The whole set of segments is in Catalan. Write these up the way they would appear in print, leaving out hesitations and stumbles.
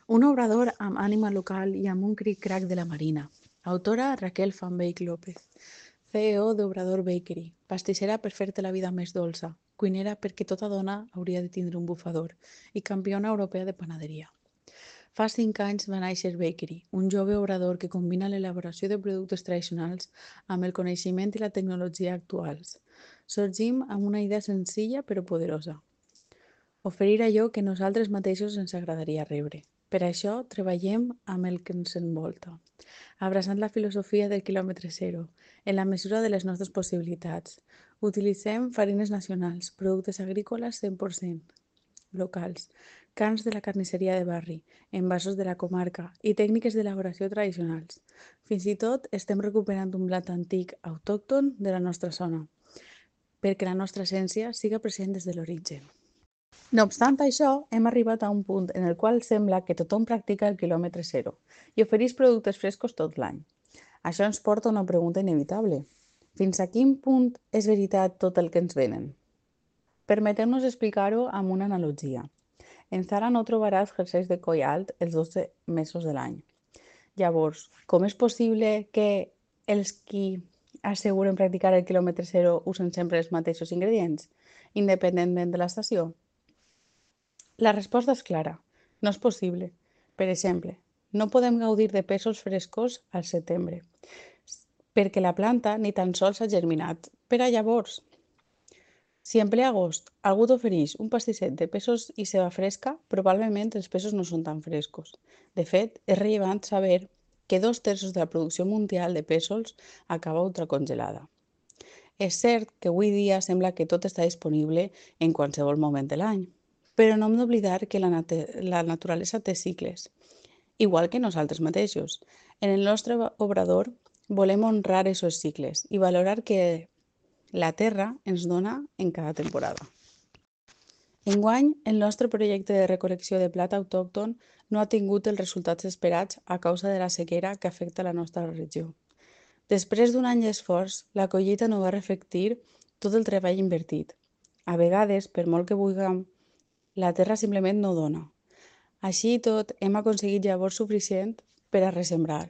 Un obrador amb ànima local i amb un cric-crac de la Marina. Autora Raquel Fanbeck López. CEO d'Obrador Bakery. Pastissera per fer-te la vida més dolça. Cuinera perquè tota dona hauria de tindre un bufador. I campiona europea de panaderia. Fa 5 anys va néixer Bakery, un jove obrador que combina l'elaboració de productes tradicionals amb el coneixement i la tecnologia actuals. Sorgim amb una idea senzilla però poderosa. Oferir allò que nosaltres mateixos ens agradaria rebre. Per això treballem amb el que ens envolta, abraçant la filosofia del quilòmetre zero, en la mesura de les nostres possibilitats. Utilitzem farines nacionals, productes agrícoles 100% locals, carns de la carnisseria de barri, envasos de la comarca i tècniques d'elaboració tradicionals. Fins i tot estem recuperant un blat antic autòcton de la nostra zona, perquè la nostra essència siga present des de l'origen. No obstant això, hem arribat a un punt en el qual sembla que tothom practica el quilòmetre zero i ofereix productes frescos tot l'any. Això ens porta a una pregunta inevitable. Fins a quin punt és veritat tot el que ens venen? Permeteu-nos explicar-ho amb una analogia. En Zara no trobaràs jerseis de coll alt els 12 mesos de l'any. Llavors, com és possible que els qui asseguren practicar el quilòmetre zero usen sempre els mateixos ingredients, independentment de l'estació? La resposta és clara. No és possible. Per exemple, no podem gaudir de pèsols frescos al setembre, perquè la planta ni tan sols ha germinat. Per a llavors, si en ple agost algú t'ofereix un pastisset de pèsols i ceba fresca, probablement els pèsols no són tan frescos. De fet, és rellevant saber que 2/3 de la producció mundial de pèsols acaba ultracongelada. És cert que avui dia sembla que tot està disponible en qualsevol moment de l'any, però no hem d'oblidar que la naturalesa té cicles, igual que nosaltres mateixos. En el nostre obrador volem honrar aquests cicles i valorar que la terra ens dona en cada temporada. Enguany, el nostre projecte de recol·lecció de blat autòcton no ha tingut els resultats esperats a causa de la sequera que afecta la nostra regió. Després d'un any d'esforç, la collita no va reflectir tot el treball invertit. A vegades, per molt que vulguem, la terra simplement no dona. Així i tot, hem aconseguit llavors suficient per a ressembrar.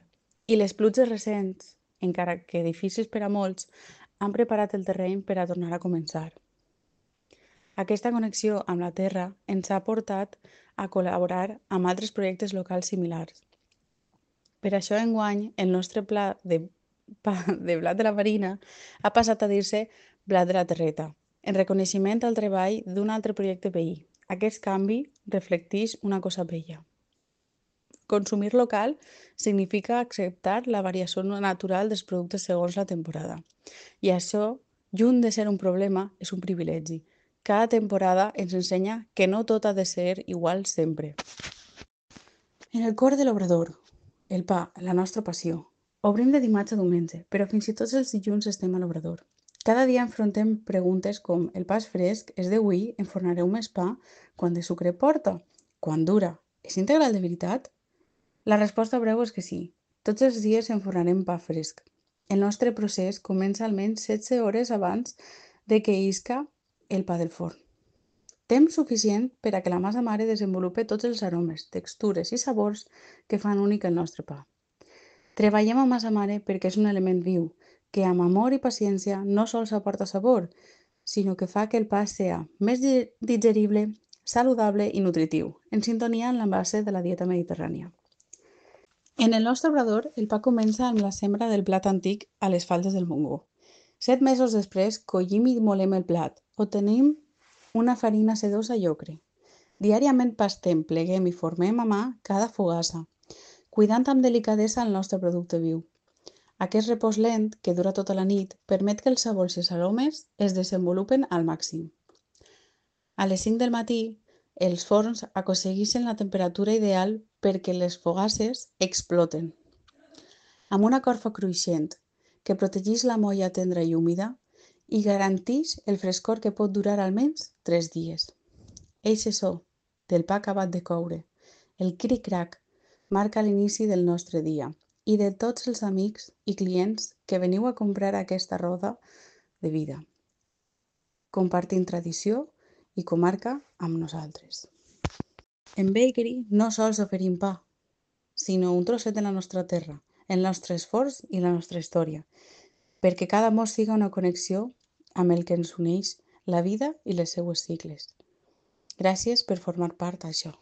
I les pluges recents, encara que difícils per a molts, han preparat el terreny per a tornar a començar. Aquesta connexió amb la terra ens ha portat a col·laborar amb altres projectes locals similars. Per això, enguany, el nostre pla de blat de la Marina ha passat a dir-se blat de la terreta, en reconeixement al treball d'un altre projecte veí. Aquest canvi reflecteix una cosa bella. Consumir local significa acceptar la variació natural dels productes segons la temporada. I això, lluny de ser un problema, és un privilegi. Cada temporada ens ensenya que no tot ha de ser igual sempre. En el cor de l'obrador, el pa, la nostra passió. Obrim de dimarts a diumenge, però fins i tot els dilluns estem a l'obrador. Cada dia enfrontem preguntes com el pa és fresc, és d'avui, enfornareu més pa, quant de sucre porta, quant dura, és integral de veritat? La resposta breu és que sí. Tots els dies enfornarem pa fresc. El nostre procés comença almenys 16 hores abans de que isca el pa del forn. Temps suficient per a que la massa mare desenvolupi tots els aromes, textures i sabors que fan únic el nostre pa. Treballem amb massa mare perquè és un element viu, que amb amor i paciència no sols aporta sabor, sinó que fa que el pa sigui més digerible, saludable i nutritiu, en sintonia amb la base de la dieta mediterrània. En el nostre obrador, el pa comença amb la sembra del blat antic a les faldes del Montgó. 7 mesos després, collim i molem el blat. Obtenim una farina sedosa i ocre. Diàriament pastem, pleguem i formem a mà cada fogassa, cuidant amb delicadesa el nostre producte viu. Aquest repòs lent, que dura tota la nit, permet que els sabors i els aromes es desenvolupen al màxim. A les 5 del matí, els forns aconsegueixen la temperatura ideal perquè les fogasses exploten. Amb una corfa cruixent que protegeix la molla tendra i húmida i garanteix el frescor que pot durar almenys 3 dies. Eixe so del pa acabat de coure, el cric-crac, marca l'inici del nostre dia i de tots els amics i clients que veniu a comprar aquesta roda de vida, compartint tradició i comarca amb nosaltres. En Bakery no sols oferim pa, sinó un trosset de la nostra terra, el nostre esforç i la nostra història, perquè cada mos siga una connexió amb el que ens uneix, la vida i les seues sigles. Gràcies per formar part d'això.